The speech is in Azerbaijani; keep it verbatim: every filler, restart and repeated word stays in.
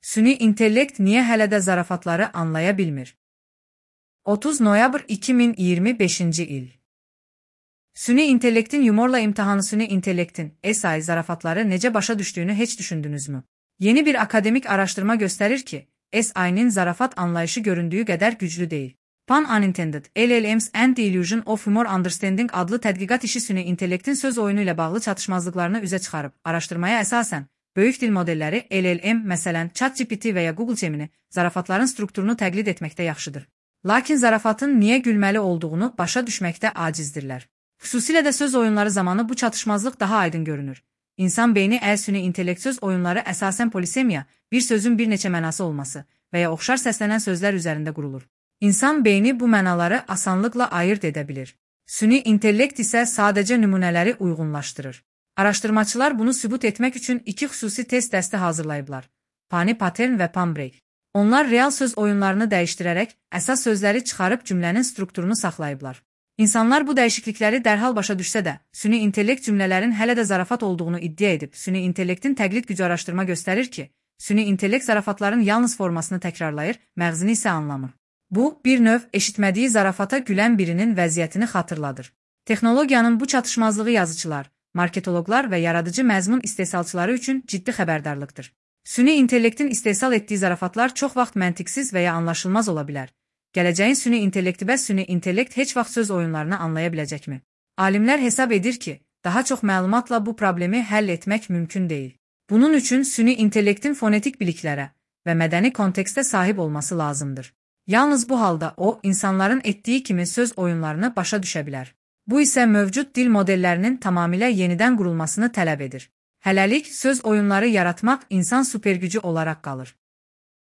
Süni intellekt niyə hələ də zarafatları anlaya bilmir? otuz noyabr iki min iyirmi beşinci il. Süni intellektin yumorla imtihanı. Süni intellektin S I zarafatları necə başa düşdüyünü heç düşündünüzmü? Yeni bir akademik araştırma göstərir ki, S I'nin zarafat anlayışı göründüyü qədər güclü deyil. Pun Unintended, L L Ms and the Illusion of Humor Understanding adlı tədqiqat işi süni intellektin söz oyunu ilə bağlı çatışmazlıqlarını üzə çıxarıb. Araşdırmaya əsasən, böyük dil modelləri L L M, məsələn, ChatGPT və ya Google Gemini, zarafatların strukturunu təqlid etməkdə yaxşıdır. Lakin zarafatın niyə gülməli olduğunu başa düşməkdə acizdirlər. Xüsusilə də söz oyunları zamanı bu çatışmazlıq daha aydın görünür. İnsan beyni əl süni intellekt söz oyunları əsasən polisemiya, bir sözün bir neçə mənası olması və ya oxşar səslənən sözlər üzərində qurulur. İnsan beyni bu mənaları asanlıqla ayırt edə bilir. Süni intellekt isə sadəcə nümunələri uyğunlaşdırır. Araşdırmaçılar bunu sübut etmək üçün iki xüsusi test dəsti hazırlayıblar. Pani Pattern və Pan-Break. Onlar real söz oyunlarını dəyişdirərək əsas sözləri çıxarıb cümlənin strukturunu saxlayıblar. İnsanlar bu dəyişiklikləri dərhal başa düşsə də, süni intellekt cümlələrin hələ də zarafat olduğunu iddia edib. Süni intellektin təqlid gücü araşdırma göstərir ki, süni intellekt zarafatların yalnız formasını təkrarlayır, məğzini isə anlamır. Bu, bir növ eşitmədiyi zarafata gülən birinin vəziyyətini xatırladır. Texnologiyanın bu çatışmazlığı yazıçılar, marketoloqlar və yaradıcı məzmun istehsalçıları üçün ciddi xəbərdarlıqdır. Süni intellektin istehsal etdiyi zarafatlar çox vaxt məntiqsiz və ya anlaşılmaz ola bilər. Gələcəyin süni intellekti bəs süni intellekt heç vaxt söz oyunlarını anlaya biləcəkmi? Alimlər hesab edir ki, daha çox məlumatla bu problemi həll etmək mümkün deyil. Bunun üçün süni intellektin fonetik biliklərə və mədəni kontekstə sahib olması lazımdır. Yalnız bu halda o, insanların etdiyi kimi söz oyunlarını başa düşə bilər. Bu isə mövcud dil modellərinin tamamilə yenidən qurulmasını tələb edir. Hələlik söz oyunları yaratmaq insan supergücü olaraq qalır.